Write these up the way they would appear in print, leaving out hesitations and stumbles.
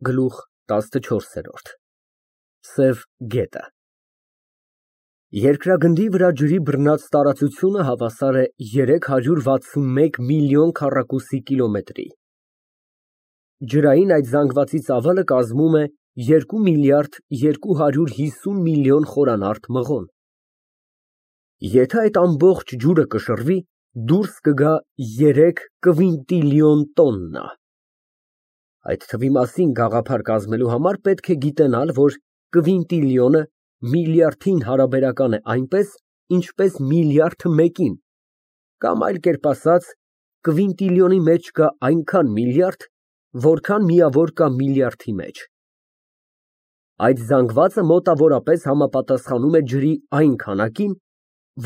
Գլուխ 14 Սև գետը Երկրագնդի վրա ջրի բռնած տարածությունը հավասար է 361 միլիոն քառակուսի կիլոմետրի։ Ջրային այդ զանգվածի ծավալը կազմում է 2 միլիարդ 250 միլիոն խորանարդ մղոն։ Եթե այդ ամբողջ ջուրը կշռվի, դուրս կգա 3 կվինտիլիոն տոննա։ Այդ թվի մասին գաղափար կազմելու համար պետք է գիտենալ, որ կվինտիլիոնը միլիարդին հարաբերական է այնպես, ինչպես միլիարդը մեկին, կամ այլ կերպ ասած, կվինտիլիոնի մեջ կա այնքան միլիարդ, որքան միավոր կա միլիարդի մեջ։ Այդ զանգվածը մոտավորապես համապատասխանում է ջրի այն քանակին,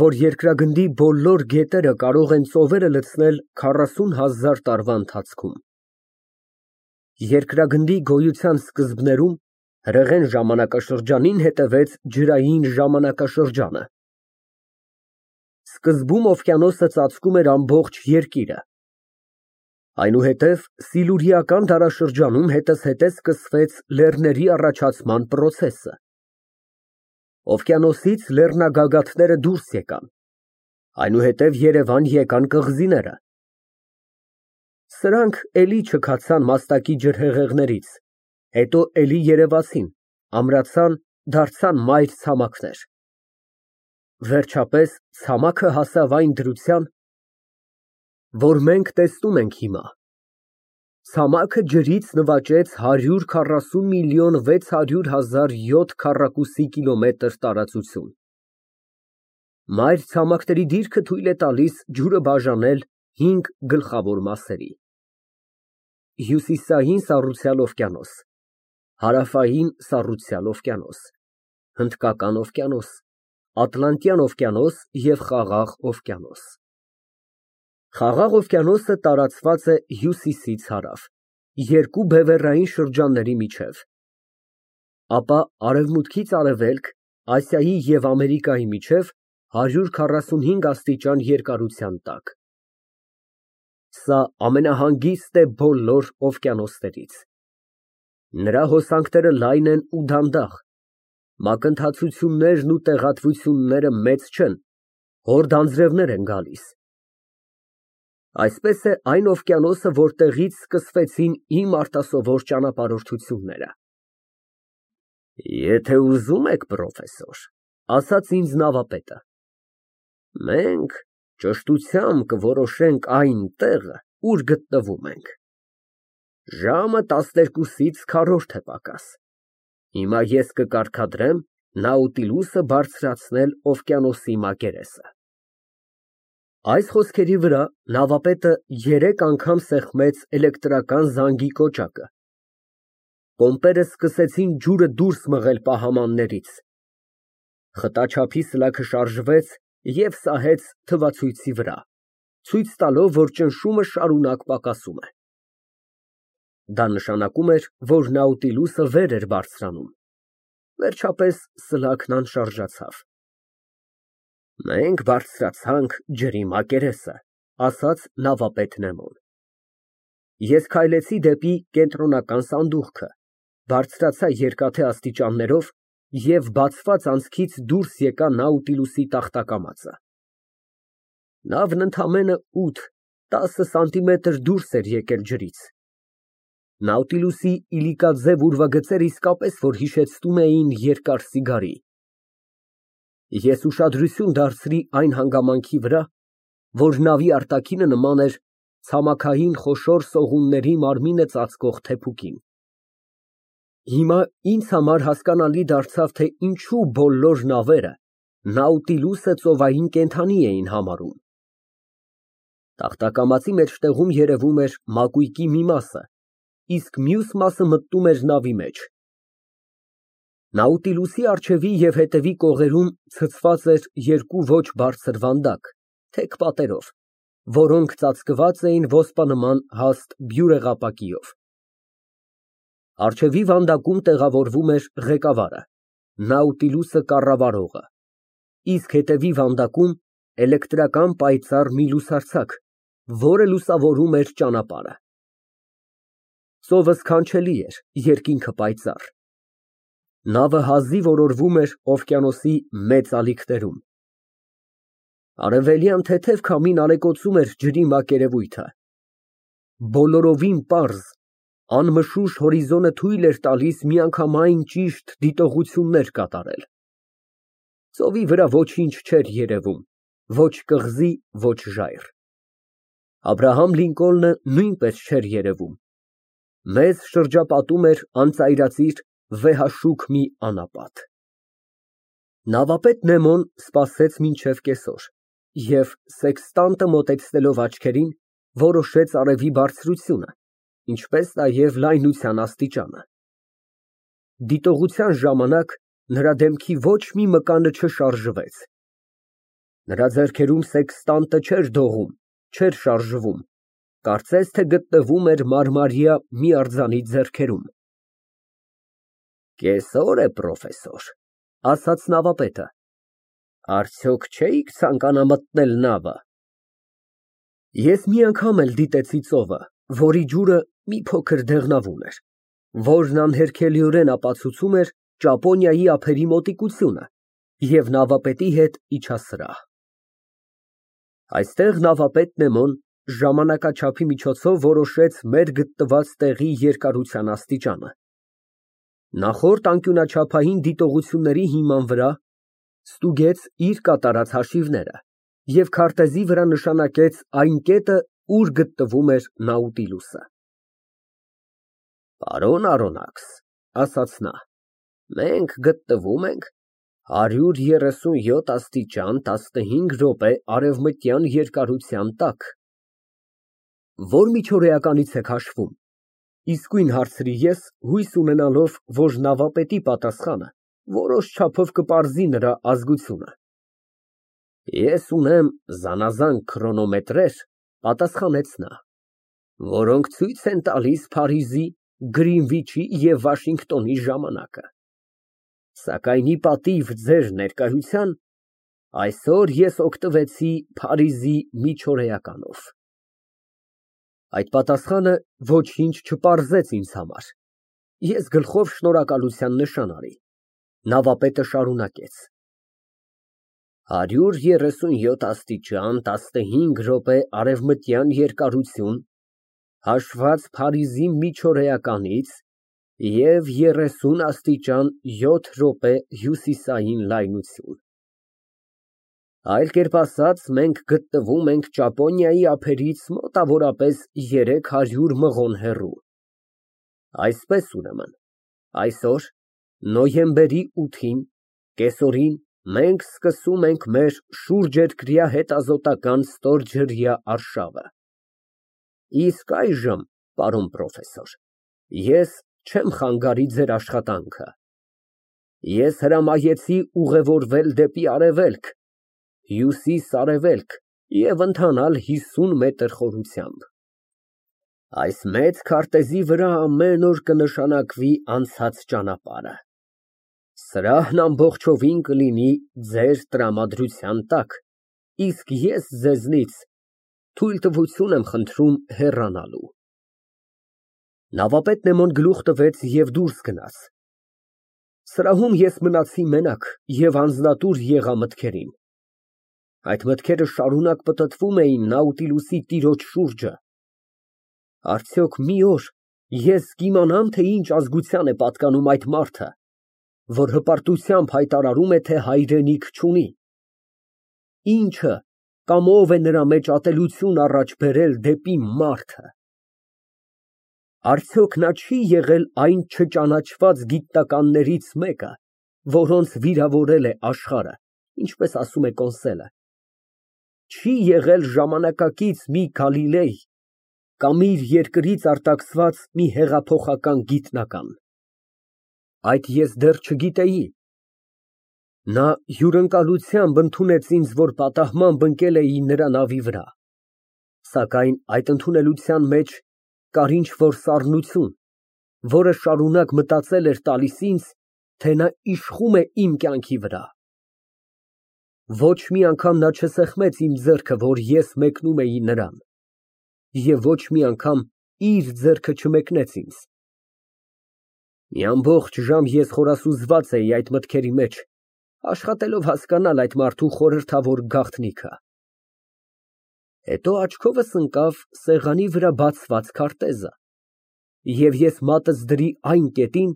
որ երկրագնդի բոլոր գետերը կարող են ծովերը լցնել 40,000 տարվա ընթացքում։ Երկրագնդի գոյության սկզբներում հրեղեն ժամանակաշրջանին հետևեց ջրային ժամանակաշրջանը։ Սկզբում օվկիանոսը ծածկում էր ամբողջ երկիրը։ Այնուհետև սիլուրիական դարաշրջանում հետզհետե սկսվեց լեռների առաջացման պրոցեսը։ Օվկիանոսից լեռնագագաթները դուրս եկան, այնուհետև Երևան եկան կղզիները։ Սրանք էլի չքացան մաստակի ջրհեղեղներից, հետո էլի երևացին, ամրացան, դարձան մայր ցամաքներ։ Վերջապես ցամաքը հասավ այն դրության, որ մենք տեսնում ենք հիմա։ Ցամաքը ջրից նվաճեց 140 միլիոն 600 հազար 7 քառակուսի կիլոմետր տարածություն։ Մայր ցամաքների դիրքը թույլ է տալիս ջուրը բաժանել 5 գլխավոր մասերի. Հյուսիսային սառուցյալ օվկիանոս, հարավային սառուցյալ օվկիանոս, Հնդկական օվկիանոս, Ատլանտյան օվկիանոս և Խաղաղ օվկիանոս։ Խաղաղ օվկիանոսը տարածված է հյուսիսից հարավ, երկու բևեռային շրջանների միջև, ապա արևմուտքից արևելք, Ասիայի և Ամերիկայի միջև 145 աստիճան երկարության տակ։ Սա ամենահանգիստ է բոլոր օվկիանոսներից։ Նրա հոսանքները լայն են ու դանդաղ, մակընթացություններն ու տեղատվությունները մեծ չեն, հորդ անձրևներ են գալիս։ Այսպես է այն օվկիանոսը, որտեղից սկսվեցին իմ արտասովոր ճանապարհորդությունները։ Եթե ուզում եք, պրոֆեսոր, ասաց ինձ նավապետը, մենք ճշտությամբ կորոշենք այն տեղը, ուր գտնվում ենք։ Ժամը 12-ից քառորդ է պակաս։ Հիմա ես կկարգադրեմ Նաուտիլուսը բարձրացնել օվկիանոսի մակերեսը։ Այս խոսքերի վրա նավապետը 3 անգամ սեղմեց էլեկտրական զանգի կոճակը։ Պոմպերը սկսեցին ջուրը դուրս մղել պահամաններից։ Խտաչափի սլաքը շարժվեց և սահեց թվացույցի վրա, ցույց տալով, որ ճնշումը շարունակ պակասում է։ Դա նշանակում էր, որ Նաուտիլուսը վեր էր բարձրանում։ Վերջապես սլաքն անշարժացավ։ Մենք բարձրացանք ջրի մակերեսը, ասաց նավապետ Նեմոն։ Ես քայլեցի դեպի կենտրոնական սանդուղքը, բարձրացա երկաթե աստիճաններով և բացված անցքից դուրս եկա Նաուտիլուսի տախտակամածը։ Նավն ընդամենը 8-10 սանտիմետր դուրս էր եկել ջրից։ Նաուտիլուսի իլիկաձև ուրվագծերը իսկապես որ հիշեցնում էին երկար սիգարի։ Ես ուշադրություն դարձրի այն հանգամանքի վրա, որ նավի արտաքինը նման էր ցամաքային խոշոր սողունների մարմինը ծածկող թեփուկին։ Հիմա ինձ համար հասկանալի դարձավ, թե ինչու բոլոր նավերը Նաուտիլուսը ծովային կենդանի էին համարում։ Տախտակամածի մեջտեղում երևում էր մակույկի մի մասը, իսկ մյուս մասը մտնում էր նավի մեջ։ Նաուտիլուսի առջևի և հետևի կողերում ցցված էր երկու ոչ բարձր վանդակ, թեք պատերով, որոնք ծածկված էին ոսպանման հաստ բյուրեղապակիով։ Առջևի վանդակում տեղավորվում էր ղեկավարը, Նաուտիլուսը կառավարողը, իսկ հետևի վանդակում էլեկտրական պայծառ մի լուսարձակ, որը լուսավորում էր ճանապարհը։ Ծովը սքանչելի էր, երկինքը պայծառ։ Նավը հազիվ օրորվում էր օվկիանոսի մեծ ալիքներում։ Արևելյան թեթև քամին ալեկոծում էր ջրի մակերևույթը։ Բոլորովին պարզ, անմշուշ հորիզոնը թույլ էր տալիս միանգամայն ճիշտ դիտողություններ կատարել։ Ծովի վրա ոչինչ չէր երևում, ոչ կղզի, ոչ ժայռ։ Աբրահամ Լինկոլնը նույնպես չէր երևում։ Մեզ շրջապատում էր անծայրածիր վեհաշուք մի անապատ։ Նավապետ Նեմոն սպասեց մինչև կեսօր և սեքստանտը մոտեցնելով աչքերին, որոշեց արևի բարձրությունը, ինչպես նաև լայնության աստիճանը։ Դիտողության ժամանակ նրա դեմքի ոչ մի մկանը չշարժվեց։ Նրա ձեռքերում սեքստանտը չէր դողում, չէր շարժվում, կարծես թե գտնվում էր մարմարյա մի արձանի ձեռքերում։ Կեսօր է, պրոֆեսոր, ասաց նավապետը, արդյոք չէիք ցանկանա մտնել նավը։ Ես մի անգամ էլ դիտեցի ծովը, որի ջուրը մի փոքր դեղնավուն էր, որն անհերքելիորեն ապացուցում էր Ճապոնիայի ափերի մոտիկությունը, և նավապետի հետ իջա սրահ։ Այստեղ նավապետ Նեմոն ժամանակաչափի միջոցով որոշեց մեր գտնված տեղի երկարության աստիճանը։ Նախորդ անկյունաչափային դիտողությունների հիման վրա ստուգեց իր կատարած հաշիվները և քարտեզի վրա նշանակեց այն կետը, ուր գտնվում էր Նաուտիլուսը։ Պարոն Արոնաքս, ասաց նա, մենք գտնվում ենք 137 աստիճան 15 րոպե արևմտյան երկարության տակ։ Ո՞ր միջօրեականից եք հաշվում, իսկույն հարցրի ես, հույս ունենալով, որ նավապետի պատասխանը որոշ չափով կպարզի նրա ազգությունը։ Ես ունեմ զանազան քրոնոմետրեր, պատասխանեց նա, որոնք ցույց են տալիս Փարիզի, Գրինվիչի և Վաշինգտոնի ժամանակը, սակայն ի պատիվ ձեր ներկայության, այսօր ես օգտվեցի Փարիզի միջօրեականով։ Այդ պատասխանը ոչինչ չպարզեց ինձ համար։ Ես գլխով շնորհակալության նշան արի։ Նավապետը շարունակեց. 137 աստիճան 15 րոպե արևմտյան երկարություն, հաշված Փարիզի միջօրեականից և 30 աստիճան 7 րոպե հյուսիսային լայնություն։ Այլ կերպ ասած, մենք գտնվում ենք Ճապոնիայի ափերից մոտավորապես 300 մղոն հեռու։ Այսպես, ուրեմն, այսօր, նոյեմբերի 8-ին, կեսօրին, մենք սկսում ենք մեր շուրջերկրյա հետազոտական ստորջրյա արշավը։ Իսկ այժմ, պարոն պրոֆեսոր, ես չեմ խանգարի ձեր աշխատանքը։ Ես հրամայեցի ուղևորվել դեպի արևելք, հյուսիս֊արևելք և ընթանալ 50 մետր խորությամբ։ Այս մեծ քարտեզի վրա ամեն օր կնշանակվի անցած ճանապարհը։ Սրահն ամբողջովին կլինի ձեր տրամադրության տակ, իսկ ես ձեզնից թույլտվություն եմ խնդրում հեռանալու։ Նավապետ Նեմոն գլուխ տվեց և դուրս գնաց։ Սրահում ես մնացի մենակ և անձնատուր եղա մտքերին։ Այդ մտքերը շարունակ պտտվում էին Նաուտիլուսի տիրոջ շուրջը։ Արդյոք մի օր ես կիմանամ, թե ինչ ազգության է պատկանում այդ մարդը, որ հպարտությամբ հայտարարում է, թե հայրենիք չունի։ Ինչը կամ ով է նրա մեջ ատելություն առաջ բերել դեպի մարդը։ Արդյոք նա չի եղել այն չճանաչված գիտնականներից մեկը, որոնց վիրավորել է աշխարհը, ինչպես ասում է Կոնսելը։ Չի եղել ժամանակակից մի Գալիլեյ կամ իր երկրից արտաքսված մի հեղափոխական գիտնական։ Այդ ես դեռ չգիտեի։ Նա հյուրընկալությամբ ընդունեց ինձ, որ պատահմամբ ընկել էի նրա նավի վրա, սակայն այդ ընդունելության մեջ կար ինչ֊որ սառնություն, որը շարունակ մտածել էր տալիս ինձ, թե նա իշխում է իմ կյանքի վրա։ Ոչ մի անգամ նա չսեղմեց իմ ձեռքը, որ ես մեկնում էի նրան, և ոչ մի անգամ իր ձեռքը չմեկնեց ինձ։ Մի ամբողջ ժամ ես խորասուզված էի այդ մտքերի մեջ, աշխատելով հասկանալ այդ մարդու խորհրդավոր գաղտնիքը։ Հետո աչքովս ընկավ սեղանի վրա բացված քարտեզը, և ես մատս դրի այն կետին,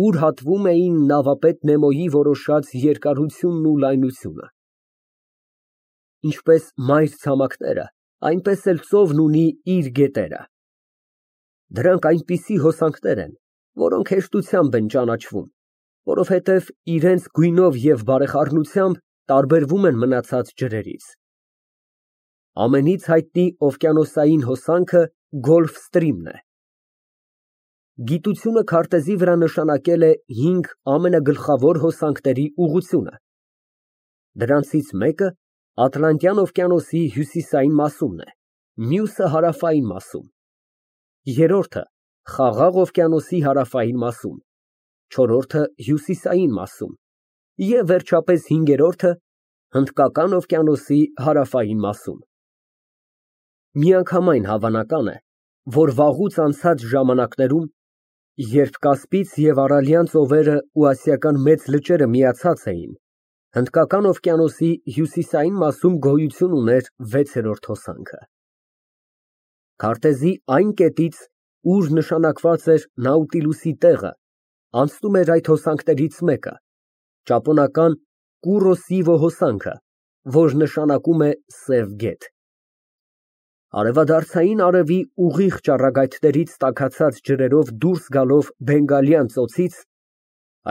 ուր հատվում էին նավապետ Նեմոյի որոշած երկարությունն ու լայնությունը։ Ինչպես մայր ցամաքները, այնպես էլ ծովն ունի իր գետերը։ Դրանք այնպիսի հոսանքներ են, որոնք հեշտությամբ են ճանաչվում, որովհետև իրենց գույնով և բարեխառնությամբ տարբերվում են մնացած ջրերից։ Ամենից հայտնի օվկիանոսային հոսանքը Գոլֆստրիմն է։ Գիտությունը քարտեզի վրա նշանակել է 5 ամենագլխավոր հոսանքների ուղղությունը։ Դրանցից մեկը Ատլանտյան օվկիանոսի հյուսիսային մասումն է, մյուսը հարավային մասում, երրորդը Խաղաղ օվկիանոսի հարավային մասում, չորրորդը հյուսիսային մասում և վերջապես հինգերորդը Հնդկական օվկիանոսի հարավային մասում։ Միանգամայն հավանական է, որ վաղուց անցած ժամանակներում, երբ Կասպից և Արալյան ծովերը ու Ասիական մեծ լճերը միացած էին, Հնդկական օվկիանոսի հյուսիսային մասում գոյություն ուներ 6-րդ հոսանքը։ Քարտեզի այն կետից, ուր նշանակված էր Նաուտիլուսի տեղը, անցնում էր այդ հոսանքներից մեկը, ճապոնական Կուրոսիվո հոսանքը, որ նշանակում է Սև գետ։ Արևադարձային արևի ուղիղ ճառագայթներից տաքացած ջրերով դուրս գալով Բենգալյան ծոցից,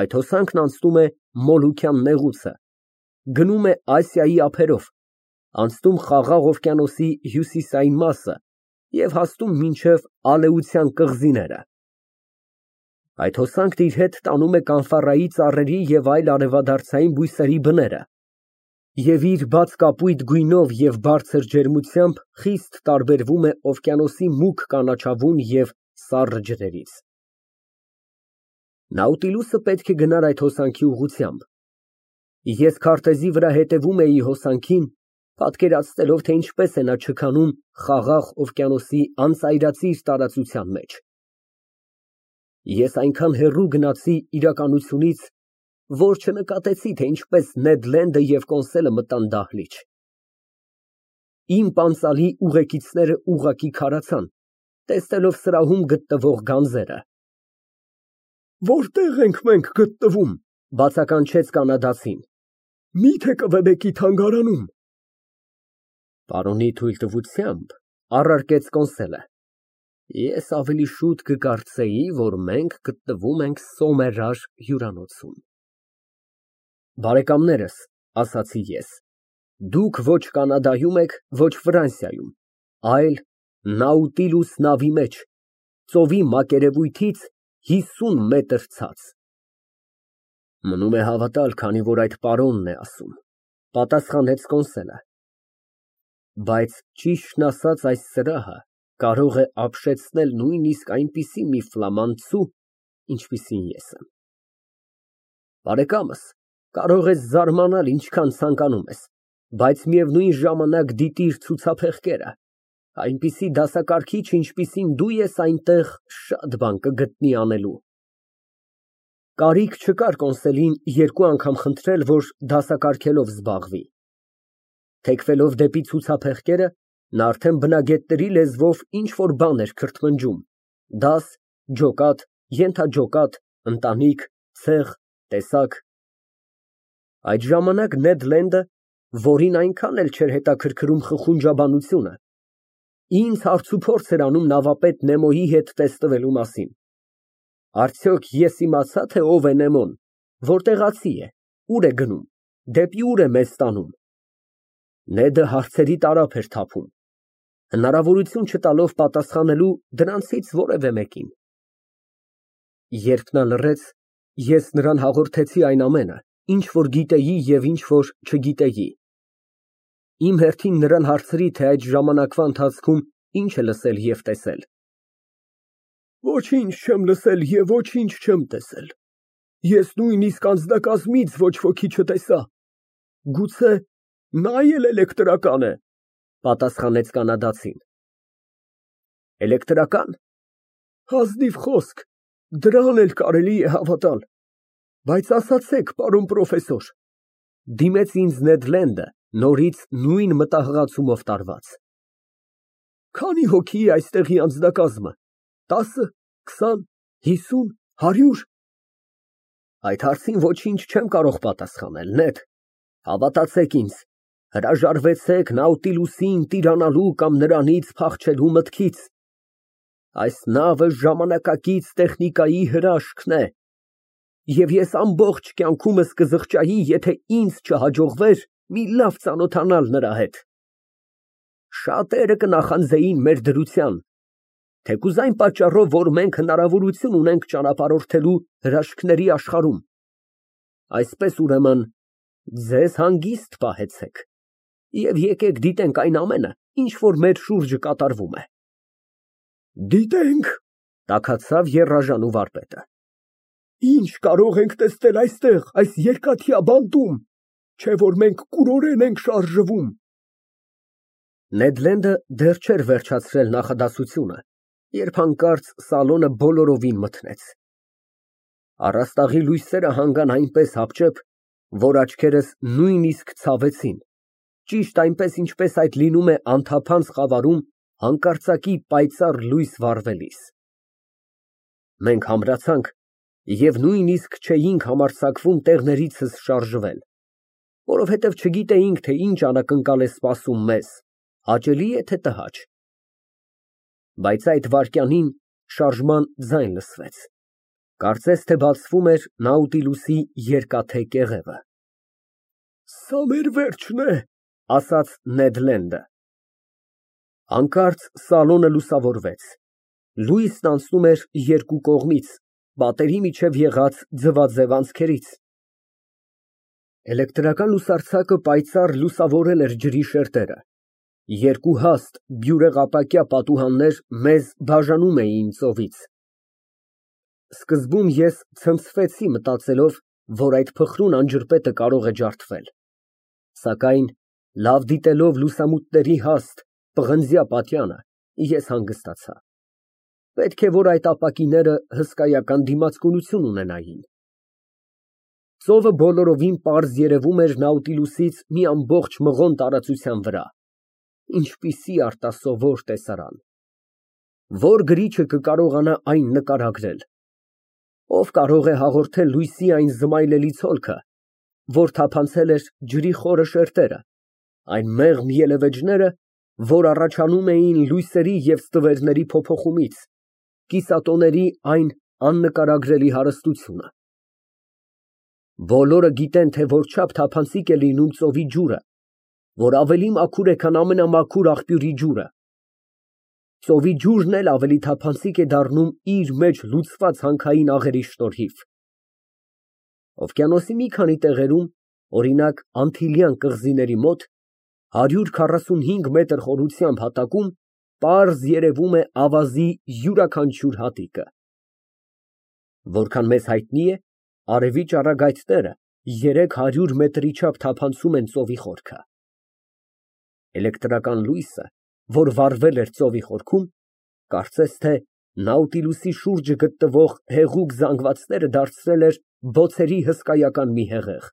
այդ հոսանքն անցնում է Մոլուքյան նեղուցը, գնում է Ասիայի ափերով, անցնում Խաղաղ օվկիանոսի հյուսիսային մասը և հասնում մինչև Ալեության կղզիները։ Այդ հոսանքն իր հետ տանում է կանֆառայի ծառերի և այլ արևադարձային բույսերի բները և իր բաց կապույտ գույնով և բարձր ջերմությամբ խիստ տարբերվում է օվկիանոսի մուգ կանաչավուն և սառը ջրերից։ Նաուտիլուսը պետք է գնար այդ հոսանքի ուղղությամբ։ Ես քարտեզի վրա հետևում էի հոսանքին, պատկերացնելով, թե ինչպես է նա չքանում Խաղաղ օվկիանոսի անծայրածիր տարածության մեջ։ Ես այնքան հեռու գնացի իրականությունից, որ չնկատեցի, թե ինչպես Նեդ Լենդը և Կոնսելը մտան դահլիճ։ Իմ պանծալի ուղեկիցները ուղղակի քարացան, տեսնելով սրահում գտնվող գանձերը։ «Որտե՞ղ ենք մենք գտնվում», ֊ բացականչեց կանադացին։ «Մի՞թե Կվեբեկի թանգարանում»։ Պարոնի թույլտվությամբ, առարկեց Կոնսելը, ես ավելի շուտ կկարծեի, որ մենք գտնվում ենք Սոմերար հյուրանոցում։ Բարեկամներս, ասացի ես, դուք ոչ Կանադայում եք, ոչ Ֆրանսիայում, այլ Նաուտիլուս նավի մեջ, ծովի մակերևույթից 50 մետր ցած։ Մնում է հավատալ, քանի որ այդ պարոնն է ասում, պատասխանեց Կոնսելը։ Բայց ճիշտն ասած, այս սրահը կարող է ապշեցնել նույնիսկ այնպիսի մի ֆլամանցու, ինչպիսին ես եմ։ Բարեկամս, կարող ես զարմանալ ինչքան ցանկանում ես, բայց միևնույն ժամանակ դիտիր ցուցափեղկերը, այնպիսի դասակարգիչ, ինչպիսին դու ես, այնտեղ շատ բան կգտնի անելու։ Կարիք չկար Կոնսելին 2 անգամ խնդրել, որ դասակարգելով զբաղվի։ Թեքվելով դեպի ցուցափեղկերը, նա արդեն բնագետների լեզվով ինչ֊որ բան էր քրթմնջում՝ դաս, ջոկատ, ենթաջոկատ, ընտանիք, ցեղ, տեսակ։ Այդ ժամանակ Նեդ Լենդը, որին այնքան էլ չէր հետաքրքրում խխունջաբանությունը, ինձ հարցուփորձ էր անում նավապետ Նեմոյի հետ տեսնվելու մասին։ Արդյոք ես իմացա՞, թե ով է Նեմոն, որտեղացի է, ուր է գնում, դեպի ուր է մեզ տանում։ Նեդը հարցերի տարափ էր թափում, հնարավորություն չտալով պատասխանելու դրանցից որևէ մեկին։ Երբ նա լռեց, ես նրան հաղորդեցի այն ամենը, ինչ որ գիտեի և ինչ որ չգիտեի։ Իմ հերթին նրան հարցրի, թե այդ ժամանակվա ընթացքում ինչ է լսել և տեսել։ Ոչինչ չեմ լսել և ոչինչ չեմ տեսել։ Ես նույնիսկ անձնակազմից ոչ ոքի չտեսա։ Գուցե նա էլ էլեկտրական է, պատասխանեց կանադացին։ Էլեկտրական։ Ազնիվ խոսք, դրան էլ կարելի է հավատալ։ Բայց ասացեք, պարոն պրոֆեսոր, դիմեց ինձ Նեդ Լենդը, նորից նույն մտահղացումով տարված։ Քանի հոգի է այստեղի անձնակազմը, 10, 20, 50, 100։ Այդ հարցին ոչինչ չեմ կարող պատասխանել, Նեդ, հավատացեք ինձ, հրաժարվեցեք Նաուտիլուսին տիրանալու կամ նրանից փախչելու մտքից։ Այս նավը ժամանակակից տեխնիկայի հրաշքն է, և ես ամբողջ կյանքումս կզղջայի, եթե ինձ չհաջողվեր մի լավ ծանոթանալ նրա հետ։ Շատերը կնախանձեին մեր դրության, թեկուզ այն պատճառով, որ մենք հնարավորություն ունենք ճանապարհորդելու հրաշքների աշխարհում։ Այսպես, ուրեմն, ձեզ հանգիստ պահեցեք և եկեք դիտենք այն ամենը, ինչ որ մեր շուրջը կատարվում է։ Դիտենք, տաքացավ եռաժանու վարպետը։ Ինչ կարող ենք տեսնել այստեղ, այս երկաթյա բանտում, չէ որ մենք կուրորեն ենք շարժվում։ Նեդ Լենդը դեռ չէր վերջացրել նախադասությունը, երբ հանկարծ սալոնը բոլորովին մթնեց։ Առաստաղի լույսերը հանգան այնպես հապճեպ, որ աչքերս նույնիսկ ցավեցին, ճիշտ այնպես, ինչպես այդ լինում է անթափանց խավարում հանկարծակի պայծառ լույս վառվելիս։ Մենք համրացանք և նույնիսկ չէինք համարձակվում տեղներիցս շարժվել, որովհետև չգիտեինք, թե ինչ անակնկալ է սպասում մեզ, հաճելի է, թե տհաճ։ Բայց այդ վայրկյանին շարժման ձայն լսվեց, կարծես թե բացվում էր Նաուտիլուսի երկաթե կեղևը։ Սա մեր վերջն է, ասաց Նեդ Լենդը։ Հանկարծ սալոնը լուսավորվեց, լույսն անցնում էր երկու կողմից, պատերի միջև եղած ձվաձև անցքերից։ Էլեկտրական լուսարձակը պայծառ լուսավորել էր ջրի շերտերը, երկու հաստ բյուրեղապակյա պատուհաններ մեզ բաժանում էին ծովից։ Սկզբում ես ցնցվեցի, մտածելով, որ այդ փխրուն անջրպետը կարող է ջարդվել, սակայն լավ դիտելով լուսամուտների հաստ, պղնձյա պատյանը, ես հանգստացա։ Պետք է, որ այդ ապակիները հսկայական դիմացկունություն ունենային։ Ծովը բոլորովին պարզ երևում էր Նաուտիլուսից մի ամբողջ մղոն տարածության վրա։ Ինչպիսի արտասովոր տեսարան։ Որ գրիչը կկարողանա այն նկարագրել։ Ով կարող է հաղորդել լույսի այն զմայլելի ցոլքը, որ թափանցել էր ջրի խորը շերտերը, այն մեղմ ելևէջները, որ առաջանում էին լույսերի և ստվերների փոփոխումից, կիսատոների այն աննկարագրելի հարստությունը։ Բոլորը գիտեն, թե որչափ թափանցիկ է լինում ծովի ջուրը, որ ավելի մաքուր է, քան ամենամաքուր աղբյուրի ջուրը։ Ծովի ջուրն էլ ավելի թափանցիկ է դառնում իր մեջ լուծված հանքային աղերի շնորհիվ։ Օվկիանոսի մի քանի տեղերում, օրինակ Անտիլյան կղզիների մոտ, 145 մետր խորությամբ հատակում պարզ երևում է ավազի յուրաքանչյուր հատիկը։ Որքան մեզ հայտնի է, արևի ճառագայթները 300 մետրի չափ թափանցում են ծովի խորքը։ Էլեկտրական լույսը, որ վառվել էր ծովի խորքում, կարծես թե Նաուտիլուսի շուրջը գտնվող հեղուկ զանգվածները դարձրել էր բոցերի հսկայական մի հեղեղ։